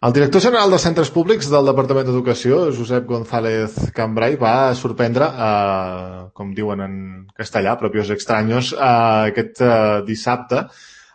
El director general de Centres Públics del Departament d'Educació, Josep González Cambray, va sorprendre, com diuen en castellà, propios extraños, aquest dissabte,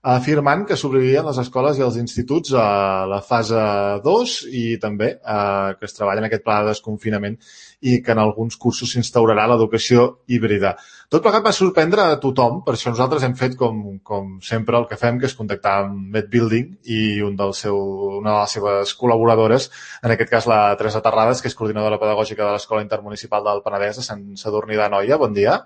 afirmant que s'obririen les escoles i els instituts a la fase 2 i també que es treballa en aquest pla de desconfinament i que en alguns cursos s'instaurarà l'educació híbrida. Tot plegat va sorprendre a tothom, per això nosaltres hem fet com sempre el que fem, que és contactar amb MedBuilding i una de les seves col·laboradores, en aquest cas la Teresa Terrades, que és coordinadora pedagògica de l'Escola Intermunicipal del Penedès de Sant Sadurní d'Anoia. Bon dia.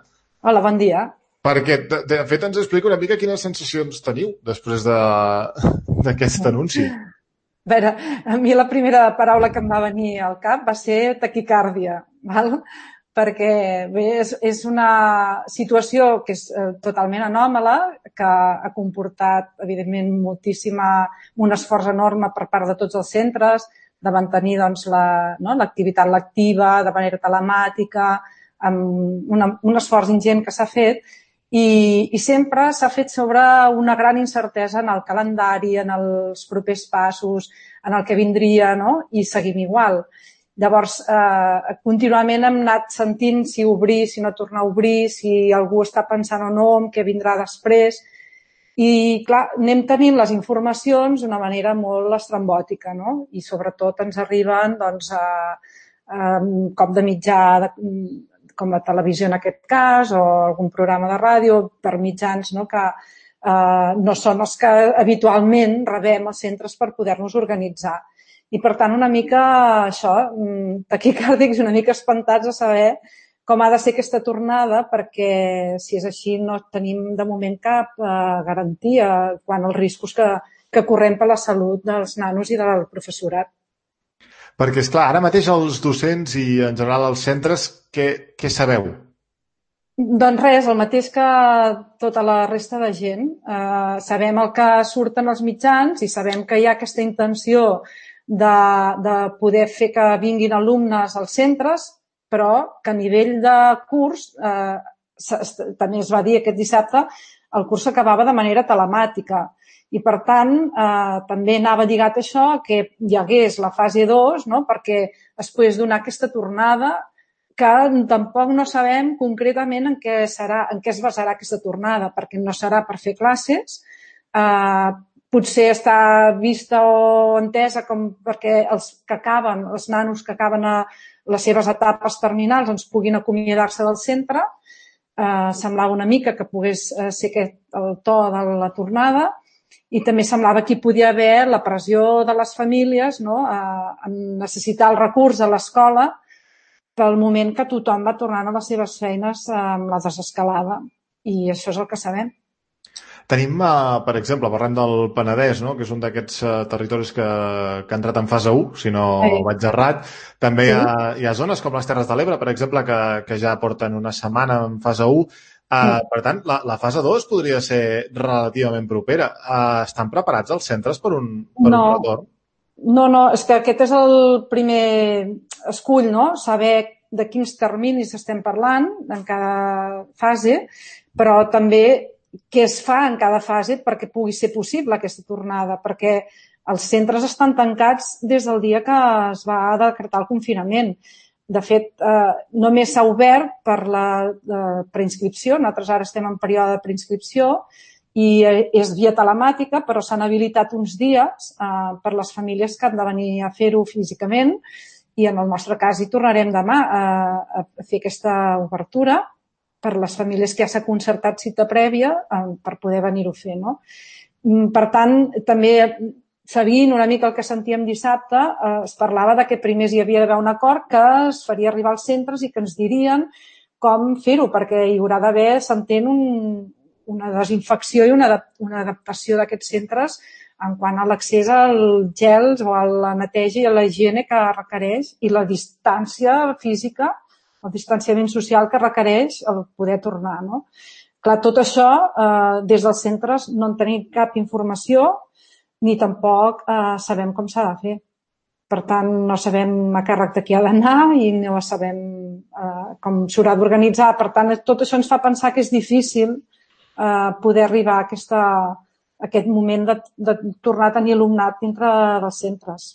Hola, bon dia. Perquè, de fet, ens explica una mica quines sensacions teniu després d'aquest anunci. A veure, a mi la primera paraula que em va venir al cap va ser taquicàrdia, val? Perquè bé, és una situació que és totalment anòmala, que ha comportat, evidentment, un esforç enorme per part de tots els centres de mantenir doncs, l'activitat lectiva de manera telemàtica, amb un esforç ingent que s'ha fet, i sempre s'ha fet sobre una gran incertesa en el calendari, en els propers passos, en el que vindria, no? I seguim igual. Llavors, contínuament hem anat sentint si obrir, si no tornar a obrir, si algú està pensant o no en què vindrà després. I, clar, anem tenint les informacions d'una manera molt estrambòtica, no? I, sobretot, ens arriben, doncs, cop de mitjà, com la televisió en aquest cas, o algun programa de ràdio, per mitjans, no?, que no són els que habitualment rebem als centres per poder-nos organitzar. I, per tant, una mica això, taquicàrdics, una mica espantats a saber com ha de ser aquesta tornada, perquè, si és així, no tenim de moment cap garantia quant als riscos que correm per la salut dels nanos i del professorat. Perquè, esclar, ara mateix els docents i, en general, els centres, què sabeu? Doncs res, el mateix que tota la resta de gent. Sabem el que surten els mitjans i sabem que hi ha aquesta intenció de poder fer que vinguin alumnes als centres, però que a nivell de curs, també es va dir aquest dissabte, el curs s'acabava de manera telemàtica. I, per tant, també anava lligat a això que hi hagués la fase 2, no?, perquè es pogués donar aquesta tornada, que tampoc no sabem concretament en què es basarà aquesta tornada, perquè no serà per fer classes, potser està vista o entesa com perquè els nanos que acaben a les seves etapes terminals doncs puguin acomiadar-se del centre. Semblava una mica que pogués ser aquest el to de la tornada, i també semblava que hi podia haver la pressió de les famílies, no?, en necessitar el recurs a l'escola pel moment que tothom va tornant a les seves feines amb la desescalada. I això és el que sabem. Tenim, per exemple, parlem del Penedès, no?, que és un d'aquests territoris que ha entrat en fase 1, si no vaig errat. També hi ha zones com les Terres de l'Ebre, per exemple, que ja porten una setmana en fase 1. Per tant, la fase 2 podria ser relativament propera. Estan preparats els centres per un retorn? No, és que aquest és el primer escull, no?, saber de quins terminis estem parlant en cada fase, però també què es fa en cada fase perquè pugui ser possible aquesta tornada, perquè els centres estan tancats des del dia que es va decretar el confinament. De fet, només s'ha obert per la preinscripció. Nosaltres ara estem en període de preinscripció i és via telemàtica, però s'han habilitat uns dies per les famílies que han de venir a fer-ho físicament, i en el nostre cas hi tornarem demà a fer aquesta obertura per les famílies que ja s'ha concertat cita prèvia per poder venir-ho a fer, no? Per tant, també seguint una mica el que sentíem dissabte, es parlava de que primer hi havia d'haver un acord que es faria arribar als centres i que ens dirien com fer-ho, perquè hi haurà d'haver, s'entén, una desinfecció i una adaptació d'aquests centres en quant a l'accés als gels o a la neteja i a la higiene que requereix i la distància física, el distanciament social que requereix el poder tornar, no? Clar, tot això, des dels centres no en tenim cap informació ni tampoc sabem com s'ha de fer. Per tant, no sabem a càrrec de qui ha d'anar i no sabem com s'haurà d'organitzar. Per tant, tot això ens fa pensar que és difícil poder arribar a aquest moment de tornar a tenir alumnat dintre dels centres.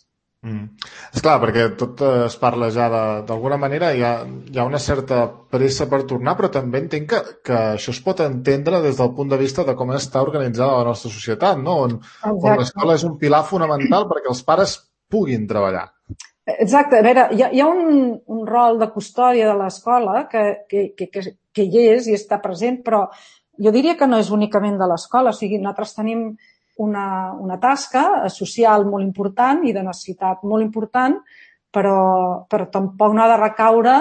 Esclar, perquè tot es parla ja d'alguna manera, hi ha una certa pressa per tornar, però també entenc que això es pot entendre des del punt de vista de com està organitzada la nostra societat, no? On Exacte. l'escola és un pilar fonamental perquè els pares puguin treballar. Exacte. A veure, hi ha un rol de custòdia de l'escola que hi és i està present, però jo diria que no és únicament de l'escola. O sigui, nosaltres tenim una tasca social molt important i de necessitat molt important, però tampoc no ha de recaure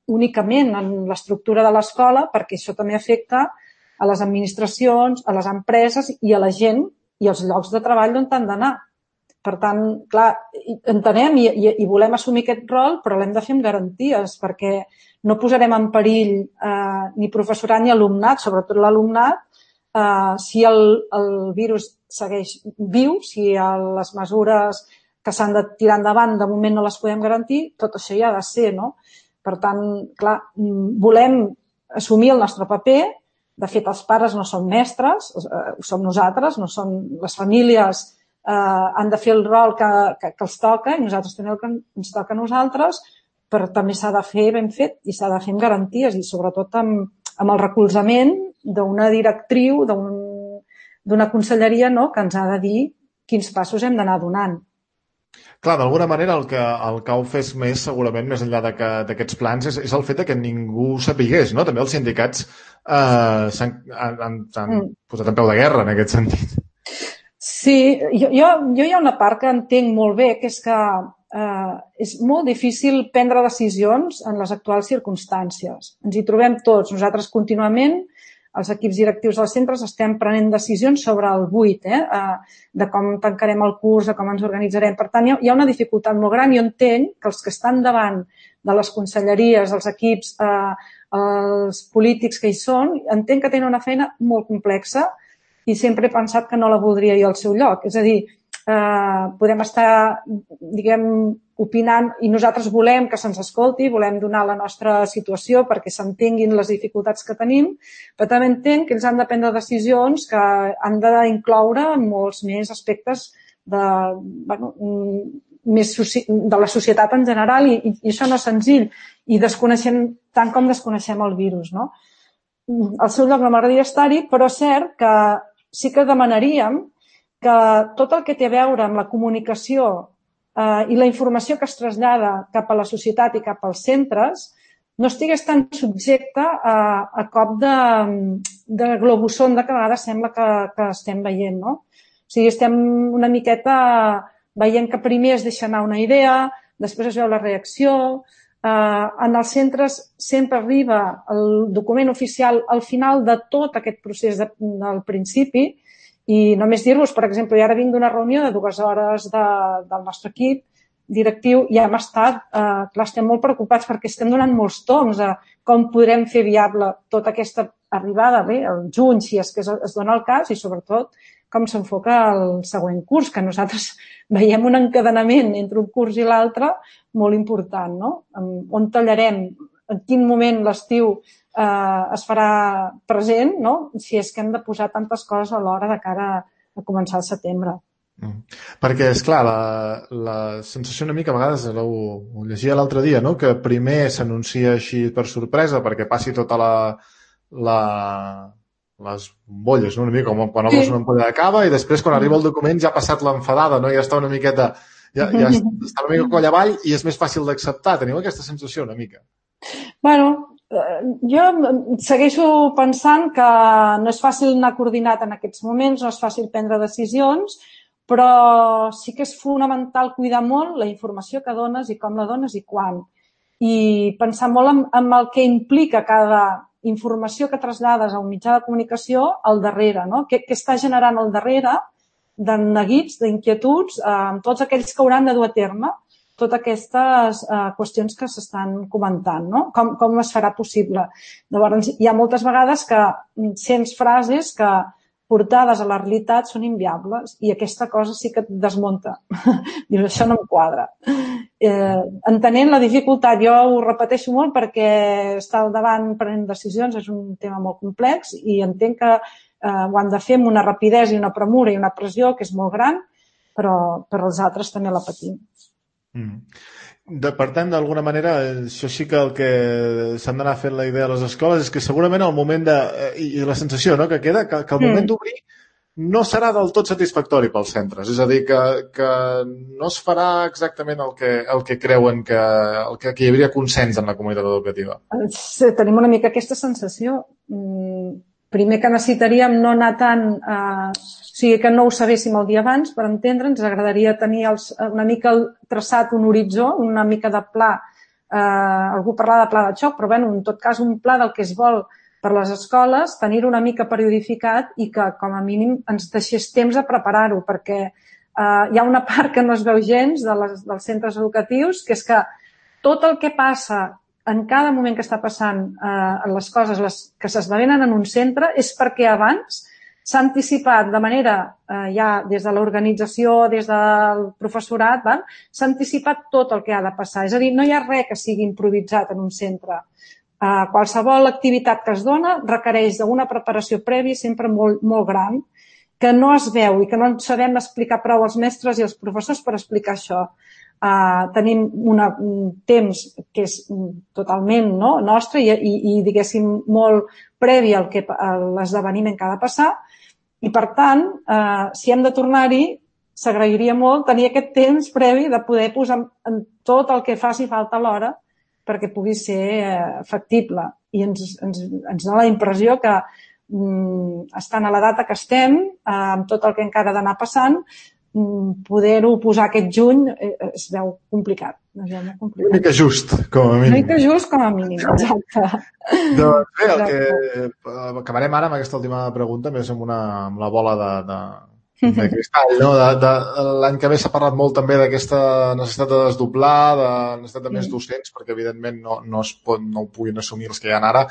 únicament en l'estructura de l'escola, perquè això també afecta a les administracions, a les empreses i a la gent i als llocs de treball on han d'anar. Per tant, clar, entenem i volem assumir aquest rol, però l'hem de fer amb garanties, perquè no posarem en perill ni professorat ni alumnat, sobretot l'alumnat, si el virus segueix viu, si les mesures que s'han de tirar endavant de moment no les podem garantir, tot això hi ha de ser, no? Per tant, clar, volem assumir el nostre paper. De fet, els pares no són mestres, ho som nosaltres, no són les famílies, han de fer el rol que els toca i nosaltres també el que ens toca a nosaltres, però també s'ha de fer ben fet i s'ha de fer amb garanties i sobretot amb el recolzament d'una directriu, d'una conselleria, no?, que ens ha de dir quins passos hem d'anar donant. Clar, d'alguna manera el que ha ofès més, segurament, més enllà d'aquests plans, és el fet que ningú sapigués, no? També els sindicats s'han posat en peu de guerra en aquest sentit. Sí, jo hi ha una part que entenc molt bé, que és que és molt difícil prendre decisions en les actuals circumstàncies. Ens hi trobem tots. Nosaltres contínuament, els equips directius dels centres, estem prenent decisions sobre el buit, de com tancarem el curs, de com ens organitzarem. Per tant, hi ha una dificultat molt gran i jo entenc que els que estan davant de les conselleries, els equips, els polítics que hi són, entenc que tenen una feina molt complexa i sempre he pensat que no la voldria jo al seu lloc. És a dir, podem estar, diguem, opinant i nosaltres volem que se'ns escolti, volem donar la nostra situació perquè s'entenguin les dificultats que tenim, però també entenc que ells han de prendre decisions que han d'incloure molts més aspectes de la societat en general i això no és senzill i desconeixem tant com desconeixem el virus, no? Al seu lloc no m'agradaria estar-hi, però és cert que sí que demanaríem que tot el que té a veure amb la comunicació i la informació que es trasllada cap a la societat i cap als centres no estigués tan subjecte a cop de globusonda que a vegades sembla que estem veient, no? O sigui, estem una miqueta veient que primer es deixa anar una idea, després es veu la reacció. En els centres sempre arriba el document oficial al final de tot aquest procés del principi. I només dir-vos, per exemple, jo ara vinc d'una reunió de 2 hores del nostre equip directiu i hem estat, clar, estem molt preocupats perquè estem donant molts toms a com podrem fer viable tota aquesta arribada, bé, el juny, si és que es dona el cas, i sobretot com s'enfoca el següent curs, que nosaltres veiem un encadenament entre un curs i l'altre molt important, no? On tallarem, en quin moment l'estiu es farà present, no? Si és que hem de posar tantes coses alhora de cara a començar el setembre. Perquè, esclar, la sensació una mica a vegades, ho llegia l'altre dia, no? Que primer s'anuncia així per sorpresa perquè passi tota les bombolles, no? Una mica com quan obres una ampolla de cava i després quan arriba el document ja ha passat l'enfadada, no? Ja està una miqueta, ja està una mica coll avall i és més fàcil d'acceptar. Teniu aquesta sensació una mica? Bueno, jo segueixo pensant que no és fàcil anar coordinat en aquests moments, no és fàcil prendre decisions, però sí que és fonamental cuidar molt la informació que dones i com la dones i quan. I pensar molt en el que implica cada informació que trasllades a un mitjà de comunicació al darrere, no? Què està generant al darrere de neguits, d'inquietuds, amb tots aquells que hauran de dur a terme totes aquestes qüestions que s'estan comentant, no? Com es farà possible? Llavors, hi ha moltes vegades que sents frases que portades a la realitat són inviables i aquesta cosa sí que et desmunta. Dius, això no em quadra. Entenent la dificultat, jo ho repeteixo molt perquè estar al davant prenent decisions és un tema molt complex i entenc que ho han de fer amb una rapidesa i una premura i una pressió que és molt gran, però els altres també la patim. Per tant, d'alguna manera, això sí que el que s'han d'anar fent la idea a les escoles és que segurament el moment i la sensació, no?, que queda, que el moment d'obrir no serà del tot satisfactori pels centres. És a dir, que no es farà exactament el que creuen que hi hauria consens en la comunitat educativa. Tenim una mica aquesta sensació. Primer que necessitaríem no anar tant... O sigui, que no ho sabéssim el dia abans per entendre. Ens agradaria tenir una mica traçat un horitzó, una mica de pla. Algú parlava de pla de xoc, però en tot cas un pla del que es vol per les escoles, tenir-ho una mica periodificat i que, com a mínim, ens deixés temps a preparar-ho, perquè hi ha una part que no es veu gens dels centres educatius, que és que tot el que passa en cada moment que està passant les coses que s'esdevenen en un centre és perquè abans s'ha anticipat de manera, ja des de l'organització, des del professorat, s'ha anticipat tot el que ha de passar. És a dir, no hi ha res que sigui improvisat en un centre. Qualsevol activitat que es dona requereix d'una preparació prèvia sempre molt, molt gran, que no es veu i que no sabem explicar prou als mestres i als professors per explicar això. Tenim un temps que és totalment nostre i diguéssim, molt previ a l'esdeveniment que ha de passar i, per tant, si hem de tornar-hi, s'agrairia molt tenir aquest temps previ de poder posar en tot el que faci falta a l'hora perquè pugui ser factible. I ens dona la impressió que estant a la data que estem, amb tot el que encara ha d'anar passant, poder-ho posar aquest juny es veu complicat. Una mica just, com a mínim. Una mica just, com a mínim, exacte. Doncs bé, el que acabarem ara amb aquesta última pregunta, més amb la bola de cristall, no? L'any que ve s'ha parlat molt també d'aquesta necessitat de desdoblar, de necessitat de més docents, perquè evidentment no ho puguin assumir els que hi ha ara.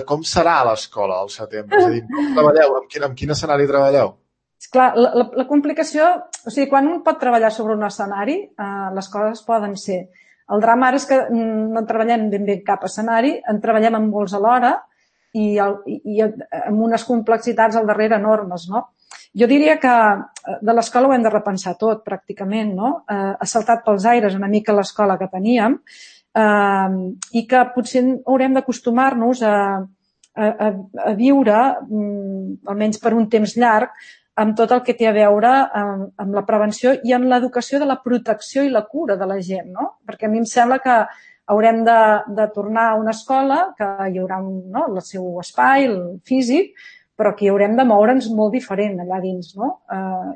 Com serà l'escola al setembre? És a dir, com treballeu? En quin escenari treballeu? Clar, la complicació... O sigui, quan un pot treballar sobre un escenari, les coses poden ser. El drama ara és que no treballem ben bé cap escenari, en treballem amb molts alhora i amb unes complexitats al darrere enormes, no? Jo diria que de l'escola ho hem de repensar tot, pràcticament, no? Ha saltat pels aires una mica l'escola que teníem i que potser haurem d'acostumar-nos a viure, almenys per un temps llarg, amb tot el que té a veure amb la prevenció i amb l'educació de la protecció i la cura de la gent, no? Perquè a mi em sembla que haurem de tornar a una escola que hi haurà el seu espai, el físic, però que hi haurem de moure'ns molt diferent allà dins, no?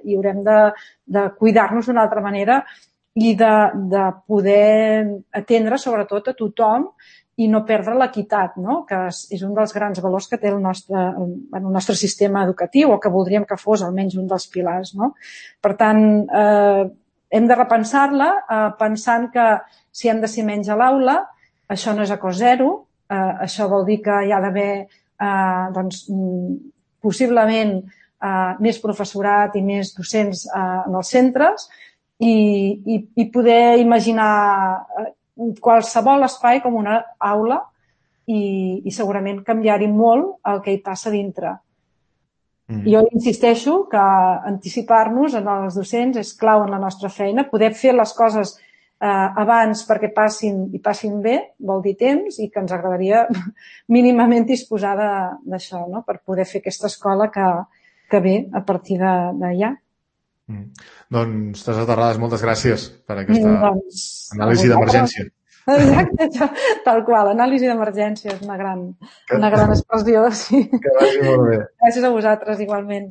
I haurem de cuidar-nos d'una altra manera i de poder atendre sobretot a tothom i no perdre l'equitat, no? Que és un dels grans valors que té el nostre sistema educatiu o que voldríem que fos almenys un dels pilars, no? Per tant, hem de repensar-la pensant que si hem de ser menys a l'aula, això no és a cost zero, això vol dir que hi ha d'haver possiblement més professorat i més docents en els centres i poder imaginar qualsevol espai com una aula i segurament canviar-hi molt el que hi passa dintre. Jo insisteixo que anticipar-nos en els docents és clau en la nostra feina, poder fer les coses abans perquè passin bé, vol dir temps, i que ens agradaria mínimament disposar d'això, no? Per poder fer aquesta escola que ve a partir d'allà. Doncs, Teresa Terrades, moltes gràcies per aquesta anàlisi d'emergència. Exacte, tal qual, anàlisi d'emergència és una gran expressió. Sí. Que vagi molt bé. Gràcies a vosaltres, igualment.